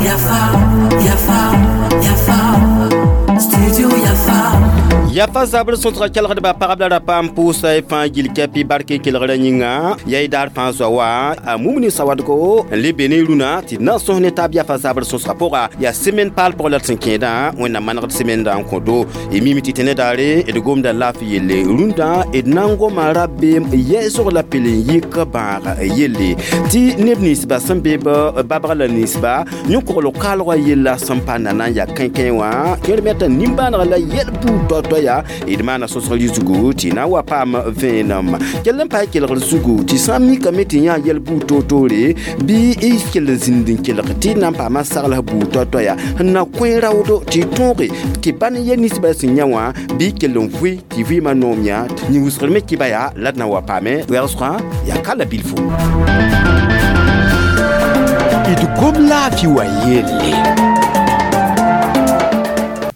Yafa, Yafa, Yafa, Studio Yafa. Yafa zabr sõsga kelgdba pagb la rapa n pʋʋsa y fãa gil kɛpɩ bark kelgrã yĩnga yaa y daar fãa zoa wa a mum ne sawadgo n le be ne rũnã tɩ d na n sõs ne taab yafa zabr sõsga pʋga yaa semaine paal pʋg la d sẽn kẽedã Wẽnnaam manegd semenda n kõ do y mime tɩ tẽne daare d gomda laafɩ yelle rũndã d na n goma rabeem yɛɛsg la pel n yɩk bãag yelle tɩ neb ninsba sẽn be babg la ninsba yõ-kogl kaalgã yella sẽn pa nana n yaa kẽnkẽ wã kẽer me t'a nimbãanega la yɛl buud toa-toa ya d maana sõsg zugu tɩ na n wa paam vẽenem kell n paas kelgr zugu tɩ sã n mikame tɩ yã yɛl buud toor-toore bɩ y kell n zĩnd n kelg tɩ na n paama sagls buud toa-toa ya n na kõ raoodo tɩ tõoge tɩ bãn yɛl ninsbã sẽn yã wã bɩ y kell n vʋɩ tɩ vɩɩmã noom yã yĩn-wʋsgr me kɩba yaa la d na n wa paame wɛgsgã yaa ka la bilfo d gom laafɩ wã yelle.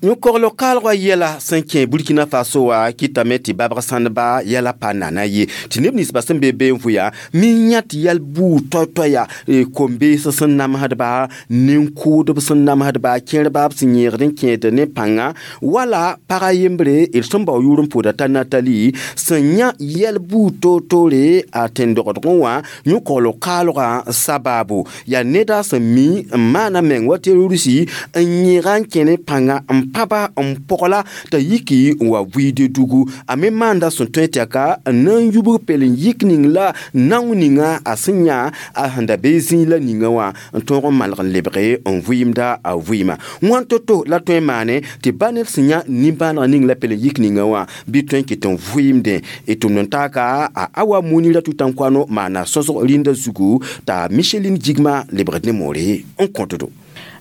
Yõ-kogl kaalgã yɛla sẽn kẽ Burkina Faso wã kɩtame tɩ babg sãndba yɛla pa nana ye tɩ neb ninsbã sẽn be be n vʋya mi yã tɩ yɛl buud toay-toay yaa kom-bees sẽn namsdba nin-kʋʋdb sẽn namsdba kẽerba b sẽn yẽegd n kẽed ne pãnga wala pag a yembre d sẽn bao yʋʋr n pʋʋda t'a Natali sẽn yã yɛl buud toor-toore a tẽn-dogdgẽ wã yõ-kogl kaalgã sabaabo yaa neda sẽn mi n maana meng wa terrorisi n yẽega n kẽ ne pãnga n pãba n pɔgla t'a yiki n wa vɩɩde dugu a me maanda sẽn tõe tɩ ka n na n yubg pel n yik ning la nao ninga a sẽn yã a sẽn da be zĩig la ninga wã n tõog n malg n lebge n vɩɩmda a vɩɩma wãn to-to la tõe n maane tɩ ba ned sẽn yã nimbãaneg ning la pel n yik ninga wã bɩ tõe n kɩt n vɩɩmdẽ d tʋmd n taaka a Awa Munira Tutankwano maana sõsg rĩndã zugu t'a Micheline Jigma lebgd ne moore n kõtdo.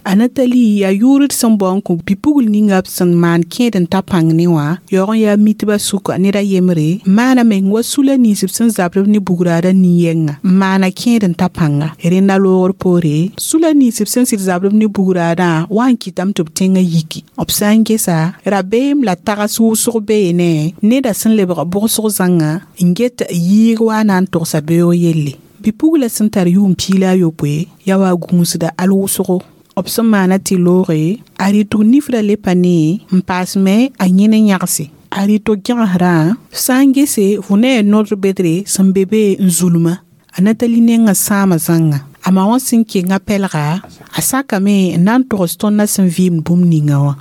A Natali yaa yʋʋr d sẽn bao n kõ bi-pugl ninga b sẽn maan kẽed n ta pãng ne wã yaoog n yaa mitbã sʋka ned a yembre maana meng wa sula nins b sẽn zabd b ne bugraadã nin-yɛnga n maana kẽed n ta pãnga rẽnda loogr poore sula nins b sẽn sɩd zabd b ne bugraadã wa n kɩtame tɩ b tẽngã yiki b sã n gesa rabeem la tags wʋsg beene neda sẽn lebg bʋgsg zãnga n get yiig wa na n togsa beoog yelle bi-pugla sẽn tar yʋʋm 16 yaa wa gũusda al wʋsgo b sẽn maana tɩ looge a rɩtg nifrã le pa ne n paas me a yẽn n yãgse a rɩtg gẽgesrã sã n gese fo ne a nodr bedre sẽn be be n zulmã a Natali nengã sãama zãnga a ma wã sẽn kenga pɛlga a sakame n na n togs tõndã sẽn vɩɩmd bũmb ninga wã.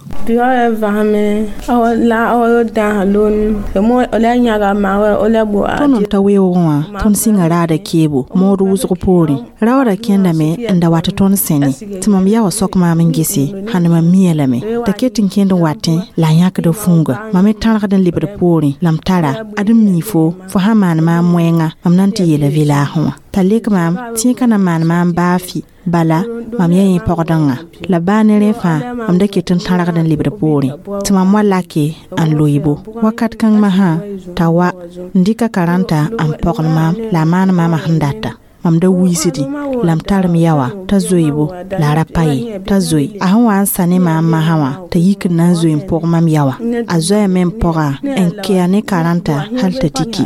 Tõnd n ta weoogẽ wã tõnd sɩnga raada keebo mood wʋsg poorẽ raoodã kẽndame n da wat tɩ tõnd sẽne tɩ mam yaoã sok maam n gese hãn mam mia lame t'a ket n kẽnd n watẽ la a yãkda fũuga mam me tãrgd n lebd poorẽ la m tara ad n mii fo fo sã maan maam wẽnga mam na n tɩ yeela vɩlaasẽ wã t'a lek maam tẽeg ka na maan maam baa fɩ bala mam yaa yẽ pɔgdẽngã la baa ne rẽ fãa mam da ket n tãrgd n lebd poorẽ tɩ mam wa lake n loeebo wakat kãng masã t'a wa n dɩka karãnta n pɔgl maam la a maan maamã sẽn data mam da wiisdẽ la m tar m yaoã t'a zoeebo la a ra pa ye t'a zoe a sẽn wa n sa ne maam masã wã t'a yik n na n zoe n pʋg mam yaoã a zoɛɛme n pɔga n kea ne karãnta hal t'a tiki.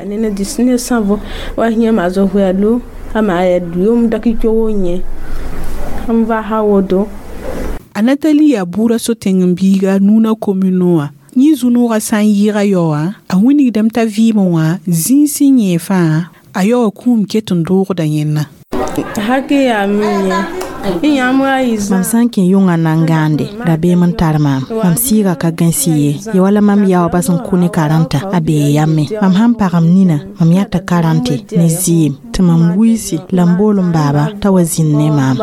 A Natali yaa buurã so-tẽng n biiga Nuna komino wã yẽ zu-noogã sã n yɩɩga yaoã a wilgdame t'a vɩɩmẽ wã zĩig sẽn yẽ fãa a yaoã kũum ket n doogda yẽnna. Mam sã n kẽ yʋngã na n gãande rabeem n tar maam mam sɩɩga ka gãsi ye ya wala mam yaoobã sẽn kʋ ne karãnta a bee yame mam sãn pagm nina mam yãta karãnte ne zɩɩm tɩ mam wiisi la m bool n baaba t'a wa zĩnd ne maam.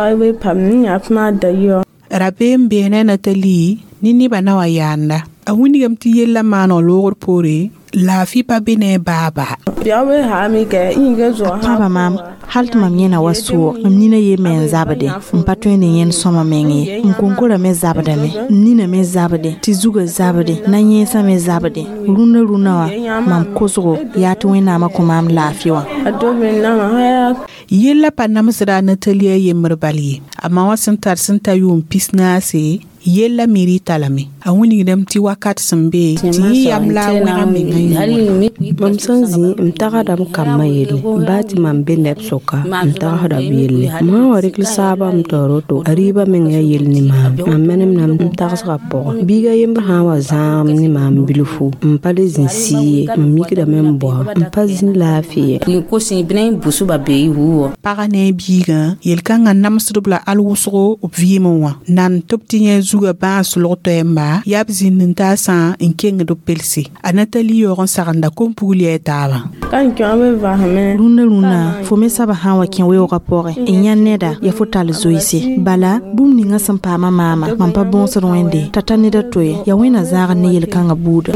Rabeem bee ne Natali ne nebã na wa yaanda a wilgame tɩ yellã maaneg loogr poore laafɩ pa be ne a baaba. A pãba maam hal tɩ mam yẽna wa soog mam nina ye me n zabde n pa tõe ne yẽnd sõma meng ye n konkora me zabdame n nina me zabde tɩ zugã zabde na-yẽesã me zabde rũnã rũnã wã mam kosgo yaa tɩ Wẽnnaamã kõ maam laafɩ wã. Yella pa namsda a Natali a yembr bal ye a ma wã sẽn tar sẽn ta yʋʋm 14. Yella miri talame a wilgdame tɩ wakat sẽn be tɩ yẽ yam la a wẽga menga yũuda. Mam sẽn zĩ m tagsdame kambã yelle, baa tɩ mam be neb sʋka m tagsda b yelle. M sã n wa rɩk saabã m taoor woto, a rɩɩbã meng yaa yell ne maam. Mam menemdame m tagsgã pʋgẽ. Biiga yembr sã n wa zãagem ne maam bilfu, m pa le zĩ sɩ ye, m mikdame n baoa, m pa zĩ laafɩ ye. Pagã ne a biigã yel-kãngã namsdb la al wʋsgo b vɩɩmẽ wã nan tɩ b tɩ yẽ zugã bãas log toɛɛmba yaa b zĩnd n taasã n kengd b pelse. A Natali yaoog n sagenda kom-pugl yaa taabã. Rũndã rũnã fo me saba sã n wa kẽ weoogã pʋgẽ n yã neda yaa fo tall zoeese. Bala bũmb ninga sẽn paama maama mam pa bõosd Wẽnde t'a ta ned a to ye, yaa Wẽnna zãagd ne yel-kãngã buuda.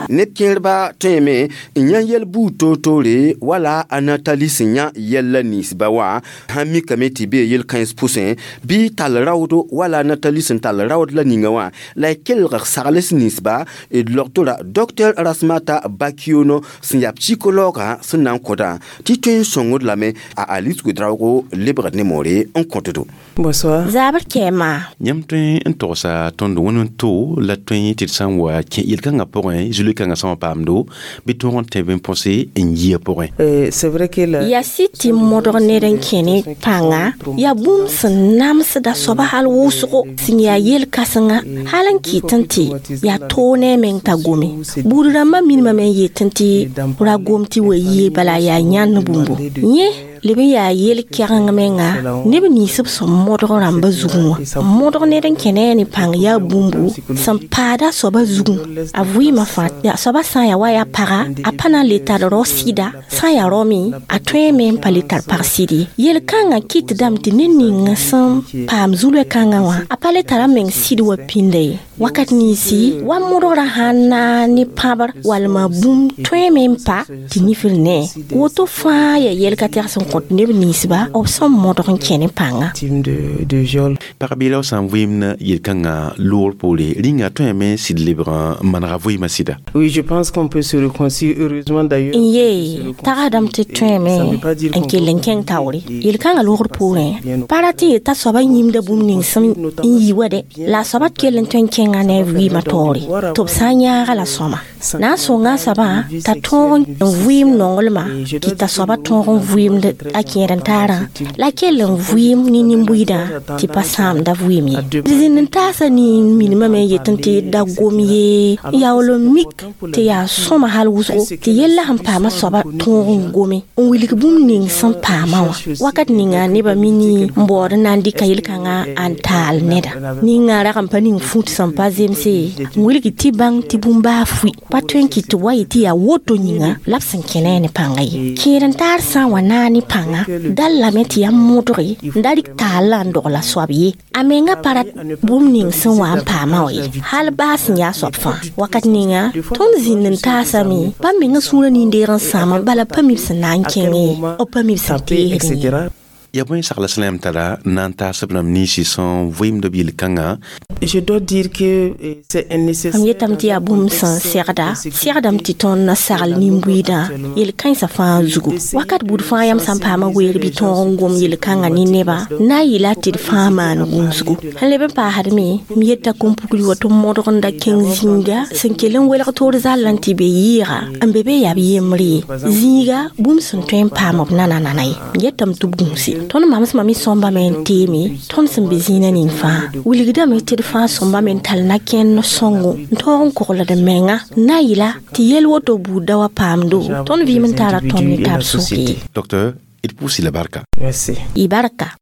Neb kẽerba tõeme n yã yɛl buud toor-toore wala a Natali sẽn yã yɛl la ninsba wã sãn mikame tɩ bee yel-kãens pʋsẽ bɩ tall raoodo wala Natali sẽn tall raood la ninga wã la y kelg sagls ninsba d logtora Dr Rasmata Bakiono sẽn yaa psychologue sẽn na n kõdã tɩ tõe n sõngd lame a Alice Godraogo lebgd ne moore n kõtdo. Bonsoir. Zabr kɛɛma. Yãmb tõe n togsa tõnd wẽnd n to la tõe tɩ d sã n wa kẽ yel-kãngã pʋgẽ zulkãngã sã n paamdo bɩ tõog n tẽ bɩ n põse n yia pʋgẽ. C'est vrai que la Yaa sɩd tɩ modg ned n kẽ ne pãnga yaa bũmb sẽn namsda soaba hal wʋsgo sẽn yaa yel-kãsenga hal n kɩtẽ tɩ yaa toog ne a meng t'a gome. Buud rãmbã minimame n yetẽ tɩ ra gom tɩ wa yie bala yaa yãnd bũmbo. Yẽ leb n yaa yel-kɛgeng menga neb nins b sẽn modg rãmbã zugẽ wã. Modg ned n kẽ ne a ne pãng yaa bũmbu sẽn paada soaba zugẽ a vɩɩmã fãa. Yaa soaba sã n yaa wa yaa paga a pa na n le tar rao sɩda, sã n yaa rao me a tõeme n pa le tar pag sɩd ye. Yel-kãngã kɩtdame tɩ ned ning sẽn paam zulɛ-kãngã wã a pa le tara meng sɩd wa pĩnda ye. Wakat ninsi wa modgrã sãn naag ne pãbr walma bũmb tõeme n pa tɩ nifr ne. Woto fãa yaa yɛl-ka-tɛg sẽn kõt neb ninsba b sẽn modg n kẽ ne pãnga. De viol. Pag-beelã sã n vɩɩmd yel-kãngã loogr poore, rĩnga tõeme sɩd lebg n manega vɩɩmã sɩda. Oui, je pense qu'on peut se réconcilier, heureusement d'ailleurs. N yee tagsdame tɩ tõeme n kell n kẽng taoore. Yel-kãngã loogr poorẽ pa ra tɩ yeta soaba yĩmda bũmb ning sẽn n yi wa dɛ, la a soaba kell n tõe n kẽnga ne a vɩɩmã taoore tɩ b sã n yãaga la sõma. Na n sõnga a soabã t'a tõog n vɩɩm nonglmã kɩt t'a soaba tõog n vɩɩmd a kẽed n taarã la kell n vɩɩm ne nin-buiidã tɩ pa sãamda vɩɩm ye. Zĩnd n taasa nin minimame n yetẽ tɩ da gom ye n yaool n mik tɩ yaa sõma hal wʋsgo tɩ yella sẽn paama soaba tõog n gome n wilg bũmb ning sẽn paama wã. Wakat ninga nebã mini n baood n na n dɩka yel-kãngã n taal neda. Ninga rag n pa ning fut sẽn pa zemse n wilg tɩ bãng tɩ bũmb baa fʋɩ pa tõe n kɩt tɩ wa yɩ tɩ yaa woto yĩnga la b sẽn kẽ ne a ne pãngã ye. Kẽed n taar sã n wa naag ne pãnga dal lame tɩ yaa modge n da rɩk taal la n dogla soab ye. A menga pa rat bũmb ning sẽn wa n paama wã ye hal baa sẽn yaa soab fãa. Wakat ninga tõnd zĩnd n taasame pa menga sũurã nin-deeg n sãama bala pa mi b sẽn na n kẽngẽ ye, b pa mi b sẽn teesdẽ ye. Yaa bõe sagla sẽn la yãmb tara na n taas b rãmb ninsi sẽn vɩɩmd b yel-kãngã? Je dois dire que c'est nécessaire. Mam yetame tɩ yaa bũmb sẽn segda segdame tɩ tõnd na sagl nin-buiidã yel-kãensã fãa zugu. Wakat buud fãa yãmb sã n paama weer bɩ tõog n gom yel-kãngã ne nebã na n yɩla tɩ d fãa maan gũusgu. Sẽn leb n paasdme m yeta kom-pugl wa tɩ modg n da kẽng zĩiga sẽn kell n welg toor zall n tɩ be yɩɩga n be be yaa b yembre ye. Zĩiga bũmb sẽn tõe n paam b nana-nana ye. M yetame tɩ b gũuse. Tõnd mamsmã me sõmbame n teeme tõnd sẽn be zĩinã ning fãa. Wilgdame tɩ d fãa sõmbame n tall na-kẽnd sõngo n tõog n kogld menga na yɩla tɩ yel woto buud da wa paamdo tõnd vɩɩm n tara tõnd ne tab sʋk ye. Docteur, d pʋʋs-y la barka. Merci. Y barka.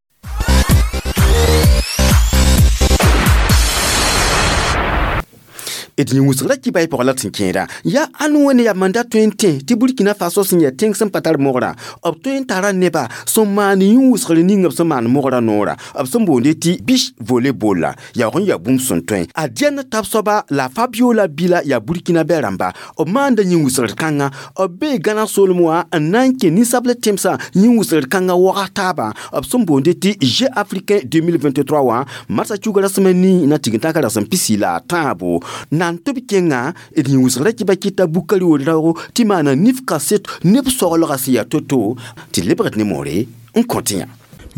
D yĩng wʋsg ra kɩ bay pʋgã la d sẽn kẽeda yaa ãn wẽne yaa manda tõe n tẽ tɩ Burkina Faso sẽn yaa tẽng sẽn pa tar mogrã b tõe n tara neba sẽn maan yĩng wʋsgr ning b sẽn maan mogrã noorã b sẽn boonde tɩ beach volleyball la yaoog n yaa bũmb sẽn tõe. A Diana tab soaba la Fabiola Bila yaa Burkina bɛ rãmba b maanda yĩng wʋsgr kãnga b bee Gãna soolem wã n na n kẽ ninsabl tẽmsã yĩng wʋsgr kãngã waga taabã b sẽn boonde tɩ Jeux africains 2023 wã marsã cuga rasem a nii na tign-tãka rasem pisi la a tãabo na N na n tɩ b kẽnga d yĩwsgrã kɩ ba kɩta bukari wod raoogo tɩ maana nif kaset neb soglgã sẽn yaa to-to tɩ lebgd ne moore n kõ tɩ yã.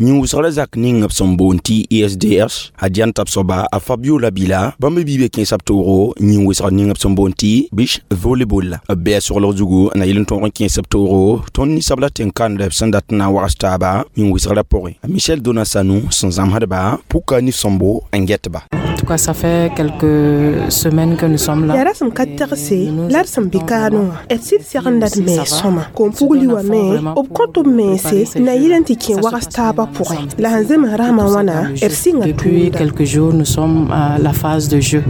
Yĩwsgrã zak ning b sẽn boond tɩ ISDH a Dian t'a b soaba a Fabiola Bila bãmb bi be kẽesa b toogo yĩn-wesgr ning b sẽn boond tɩ beach volleyball la b bɩa soglg zugu na yel n tõog n kẽes b toogo tõnd ninsabla tẽn-kãndb sẽn dat n na n wags taaba yĩn-wesgrã pʋgẽ. Michel Dona Sanou sẽn zãmsdba puka nif-sõmbo n get-ba. En tout cas, ça fait quelques semaines que nous sommes là. Yaa rasem ka tegse la d sẽn bɩ kaanẽ wã d sɩd segenda d mens sõma kom-pugli wã me b kõt b mense na yɩl n tɩ kẽ wags taabã pʋgẽ la sẽn zems rãsmã wãna d sɩnga. Depuis quelques jours, nous sommes à la phase de jeu.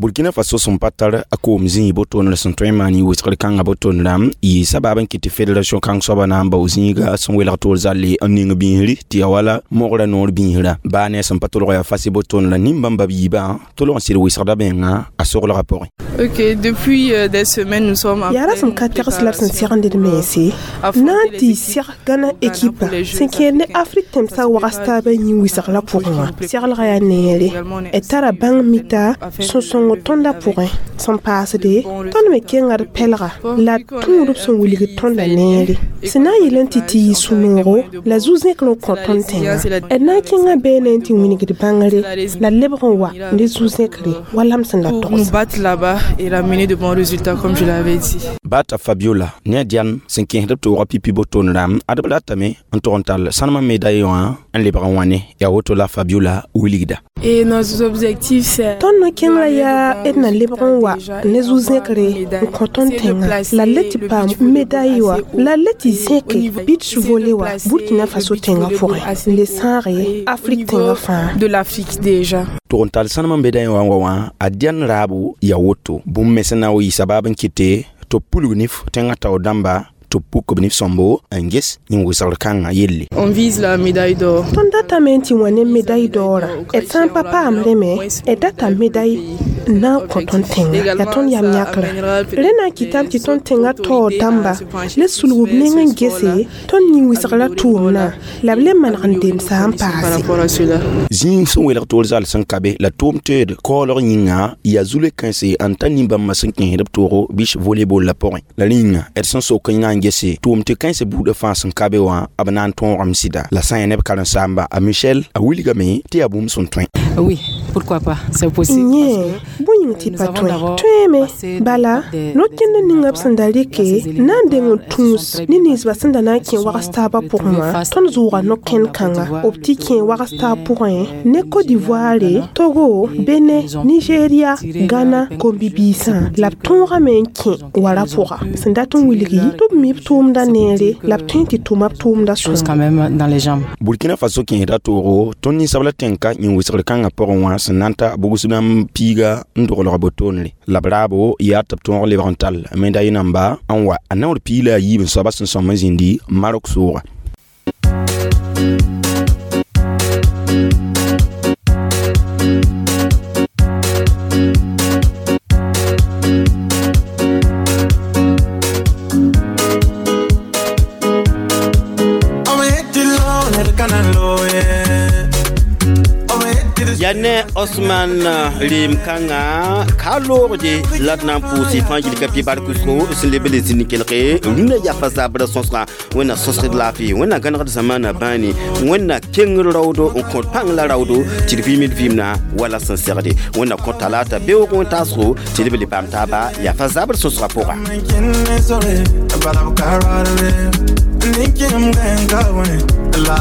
Burkina Faso sẽn pa tar a koom zĩig botoonr sẽn tõe n maan wɩsgr kãngã botoonrã yɩ sabab n kɩt tɩ fédération kãng soaba na n bao zĩiga sẽn welg toor zalle n ning biisri tɩ yaa wala mogra noor biisrã baa ne sẽn pa tolg yaa fas botoonrã nin-bãmba b yiibã tolg n sɩd wɩsgda menga a soglgã pʋgẽ. Ok, depuis des semaines, nous sommes en Yaa rasem ka tegs la d sẽn segend d mense na n tɩ seg Gana ekipa sẽn kẽed ne Afrik tẽmsã wags taabã yĩn-wɩsgrã pʋgẽ wã seglgã yaa neere d tara bãng mita sũ-sõng tõndã pʋgẽ sẽn paasde tõnd me kenga d pɛlga la d tũud b sẽn wilgd tõnda neere sẽn na n yel n tɩ tɩ yɩ sũ-noogo la zu-zẽkr n kõ tõnd tẽnga d na n kẽnga bɛɛne n tɩ wingd bãngre la d lebg n wa ne zu-zẽkre wala m sẽn la pour nous togs. battre là-bas et ramener de bons résultats, comme je l'avais dit. Bata Fabiola ne a Dian sẽn kẽesd b toogã pipi botoonrã ad b ratame n tog n tall sãnemã médaille wã n lebg n wã ne yaa woto la Fabiola wilgda. Et nos objectifs, c'est Tõnd no-kẽngrã yaa d na lebg n wa ne zu-zẽkre n kõ tõnd tẽnga la d le tɩ paam médaille wa la d le tɩ zẽke beach volley wa Burkina Faso tẽngã pʋgẽ n le sãage Afrik tẽngã fãa. De l'Afrique déjà. Tog n tall sãnemã médaille wã n wa wã a Dian raabo yaa woto bũmb me sẽn na n wa yɩ sabab n kɩte tɩ b pulg nif tẽngã taoor dãmba tɩ b puk b nif-sõmbo n ges yĩn-wɩsgr kãngã yelle. On vise la médaille d'or. Tõnd datame n tɩ wã ne médaille d'or d sã n pa paam rẽ me d data médaille n na n kõ tõnd tẽnga yaa tõnd yam yãkrã rẽ na n kɩtame tɩ tõnd tẽngã taoor dãmba le sulg b neng n gese tõnd yĩn-wɩsgrã tʋʋmdã la b le maneg n demsa n Par paase. rapport à cela. Zĩig sẽn welg toor zal sẽn ka be la tʋʋm teed kaoolg yĩnga yaa zule kãense n ta nin-bãmbã sẽn kẽesd b toogo beach volleyball la pʋgẽ la rẽ yĩnga d sẽn sok n na n gese tʋʋm tɩ kãensã buudã fãa sẽn ka be wã b na n tõogame sɩda la sã n yaa neb karen-saamba a Michel a wilgame tɩ yaa bũmb sẽn tõe. Oui, pourquoi pas, c'est possible. Yẽ bõe yĩng tɩ pa tõe tõeeme bala no-kẽnd ninga b sẽn da rɩke na n deng n tũus ne ninsbã sẽn da na n kẽ wags taabã pʋgẽ wã tõnd zʋʋga no-kẽnd kãnga b tɩ kẽ wags taab pʋgẽ ne Côte d'Ivoire, Togo, Benin, Nigeria, Ghana kom-bibiisã la b tõogame n kẽ wara pʋga sẽn dat n wilgi tɩ b mi b tʋʋmdã neere la b tõe n tɩ tʋma b tʋʋmdã Chose sõma. quand même dans les jambes. Burkina Faso kẽesda toogo tõnd ninsabla tẽnka yĩn-wɩsgr kãngã pʋgẽ wã sẽn na n ta bugsdãmb piiga n doglg botoonre la b raabo yaa tɩ b tõog lebg n tall médaille namba n wa a naoor piig la a yiib n soaba sẽn sõm n zĩndi Marok sʋʋga. Yaa ne Osman rɩɩm kãngã ka loogde la d na n pʋʋs fãa yil ka pɩ bark-wʋsgo sẽn leb n le zĩnd kelge rũnã yafa zabrã sõsgã Wẽnna sõsgd laafɩ Wẽnna gãnegd zamaana bãane Wẽnna kengr raoodo n kõt pãng la raoodo tɩ d vɩɩmd vɩɩmdã wala sẽn segde Wẽnna kõ talaata beoog wẽn taasgo tɩ d b le paam taaba yafa zabr sõsgã pʋga. La